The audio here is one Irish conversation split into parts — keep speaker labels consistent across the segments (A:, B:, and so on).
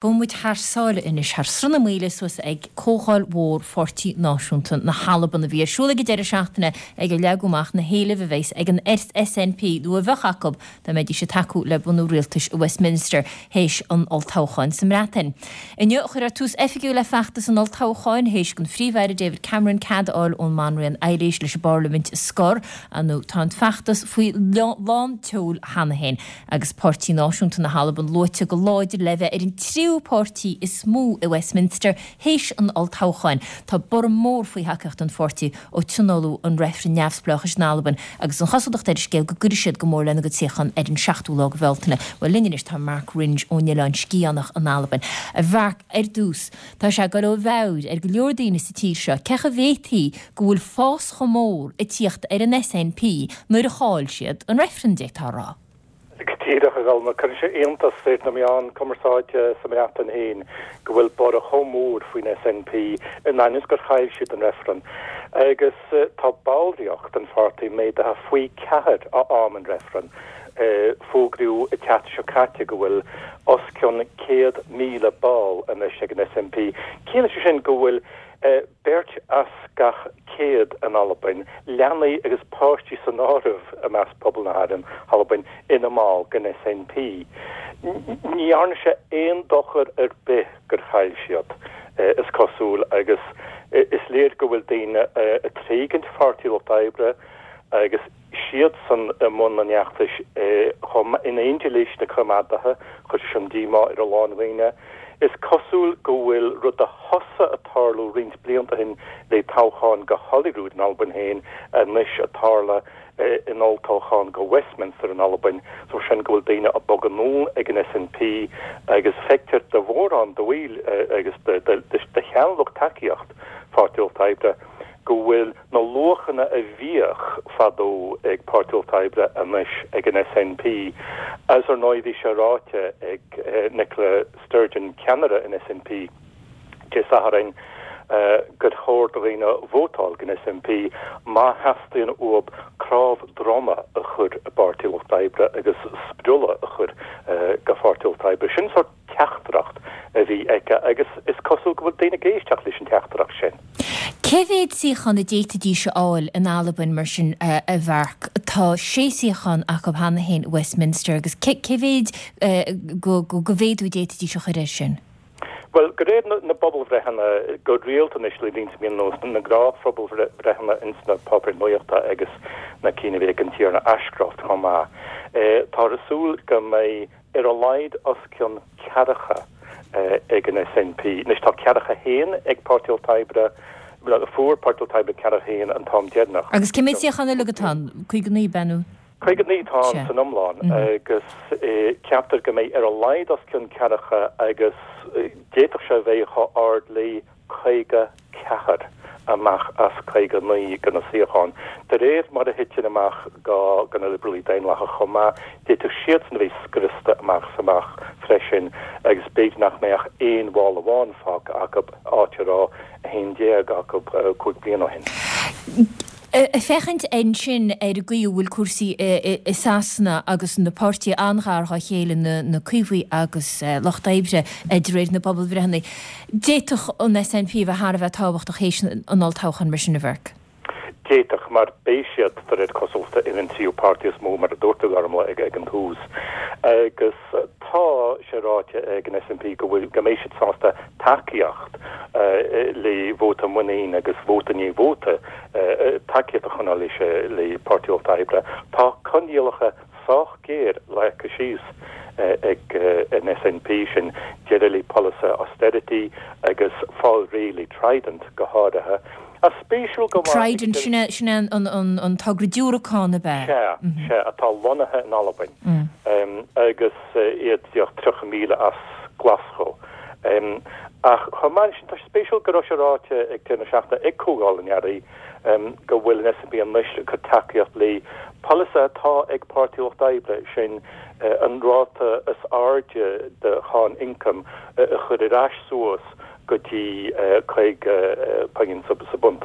A: Gabhfaidh muid thar sáile anois, thar Sruth na Maoile suas ag Comhdháil Mhór Pháirtí Náisiúnta na hAlban a bhí ar siúl ag an deireadh seachtaine ag ar leagadh amach na héilimh a bheas ag an SNP, nó a bheadh acu dá mbeidís ag tacú le bunú rialtais i Westminster théis an olltoghcháin sa mBreatain. Inniu a cuireadh tús oifigiúil le feachtas an olltoghcháin théis don Phríomh-Aire David Cameron cead a fháil ón mBanríon Eilís leis an bParlaimint a scor, nó tá an feachtas faoi lán tseoil cheana féin. agus Páirtí Náisiúnta na hAlban luaite go láidir le bheith ar an tríú páirtí is mó i Westminster théis an olltoghcháin. Tá borradh mór faoi thacaíocht don pháirtí ó tionóladh an reifreann neamhspleáchais in Albain agus an chosúlacht ar an scéal go gcuirfidh siad go mór lena gcuid suíochán ar an seachtú lá de Bhealtaine. Bhuel, linn anois tá Marc Ringe ón Oileán Sgitheanach in Albain. A Mharc, ar dtús, tá sé ag dul ó mheabhair ar go leor daoine sa tír seo cén chaoi a bhféadfaí go bhfuil fás chomh mór ag tíocht ar an SNP nuair a chaill siad an reifreann, d'fhéadfá a rá.
B: Go díreach, a Gholma. Cuireann sé iontas ar na meáin cumarsáide sa mBreatain féin go bhfuil borradh chomh mór faoin SNP in ainneoin is gur chaill siad an reifreann. Agus tá ballraíocht an pháirtí méadaithe faoi cheathair ó am an reifrinn. Fógraíodh an tseachtain seo caite go bhfuil os cionn 100,000 ball anois ag an SNP. Ciallaíonn sé sin go bhfuil beirt as gach 100 in Albain, leanaí agus páistí san áireamh i measc pobal na hAlbain, ina mball den SNP. Ní dhearna sé aon dochar ar bith gur chaill siad, is cosúil, agus is léir go bhfuil daoine ag tréigint Pháirtí Lucht Oibre agus siadsan i mbun an fheachtais chomh maith, in éindí leis na Coimeádaithe, chuir sé sin díomá ar a lán dhaoine. Is cosúil go bhfuil rud a thosaigh ag tarlú roinnt blianta ó shin le toghchán go Holyrood in Albain féin anois ag tarlú in olltoghchán go Westminster in Albain, so sin go bhfuil daoine ag bogadh anonn ag an SNP agus feictear do mhórán de bhaill agus de sheanlucht tacaíocht Pháirtí Lucht Oibre go bhfuil na luachanna a bhíodh fadó ag Páirtí Lucht Oibre anois ag an SNP. Agus ar ndóigh bhí sé ráite ag Nicola Sturgeon, ceannaire an SNP, Dé Sathairn gur chóir do dhaoine vótáil don SNP má theastaíonn uathu cnámh droma a chur i bPáirtí Lucht Oibre agus spriolla a chur go Pháirtí Lucht Oibre. Sin sórt teachtaireacht a bhí aici agus is cosúil go bhfuil daoine ag éisteacht leis an teachtaireacht sin.
A: Cé mhéad suíochán a d'fhéadfaidís a fháil in Albain mar sin, a Mharc? Tá sé suíochán acu cheana féin i Westminster agus cé mhéad go mhéadú a d'fhéadfaidís a chur air sin?
B: Bhuel, de réir na bpobalbhreitheanna go rialta anois le roinnt mí anuas, na gnáthphobalbhreitheanna ins na páipéir nuachta agus na cinn a bhí ag an Tiarna Ashcroft chomh maith, táthar ag súil go mbeidh ar a laghad os cionn ceathracha ag an SNP. Anois tá ceathracha haon ag Páirtí Lucht Oibre, bhuel fuair Páirtí Lucht Oibre ceathracha haon an t-am deireanach.
A: Agus cé mhéad suíochán uilig atá ann? 59 ab ea nó?
B: 59 atá ann san iomlán agus ceaptar go mbeidh ar a laghad os cionn ceathracha agus d'fhéadfadh sé a bheith chomh ard le 54 amach as 59 de na suíocháin. De réir mar a thiteann amach go na Liobralaigh Daonlathacha chomh maith, d'fhéadfadh siadsan a bheith scriosta amach is amach freisin agus b'fhéidir nach mbeadh ach aon bhall amháin fágtha acu, áit a raibh 11 acu 5 bliana ó shin.
A: Ag féachaint ansin ar an gcaoi a bhfuil cúrsaí i Sasana agus na páirtithe an-ghar dhá chéile, na Caomhaigh agus Lucht Oibre, de réir na bpobalbhreitheanna, d'fhéadfadh an SNP a bheith thar a bheith tábhachtach théis an olltoghcháin mar sin, a Mharc?
B: D'fhéadfadh, mar beidh siad, de réir cosúlachta, ar an tríú páirtí is mó, mar a dúirt tú, a Ghormlaith, ag an tús. Agus tá sé ráite ag an SNP go bhfuil, go mbeidh siad sásta tacaíocht le vóta muinín agus vóta i ndiaidh vóta, tacaíocht a choinneáil leis le Páirtí Lucht Oibre. Tá coinníollacha sách géar leagtha síos ag an SNP, sin deireadh le polasaithe austerity agus fáil réidh le Trident go háirithe. Ach spéisiúil go maith.
A: Trident, sin é sin é an togra diúracán ab ea?
B: Sea, sea, atá lonnaithe in Albain agus iad díreach 30 míle as Glaschú. Ach chomh maith leis sin, tá sé spéisiúil go raibh sé ráite ag deireadh na seachtaine ag Comhdháil an Earraigh go bhfuil an SNP anois ag cur tacaíocht le polasaithe atá ag Páirtí Lucht Oibre, sin an ráta is airde de cháin ioncaim a chur ar ais suas go dtí 50 pingin sa bpunt.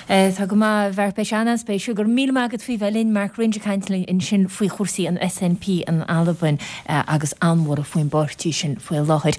A: Tá go maith, a Mhark, beidh sé an-an-spéisiúil. Go raibh míle maith agat faoi bheith linn, Mark Wringe ag caint linn ansin faoi chúrsaí an SNP in Albain agus an-bhorradh faoin bpáirtí sin faoi láthair.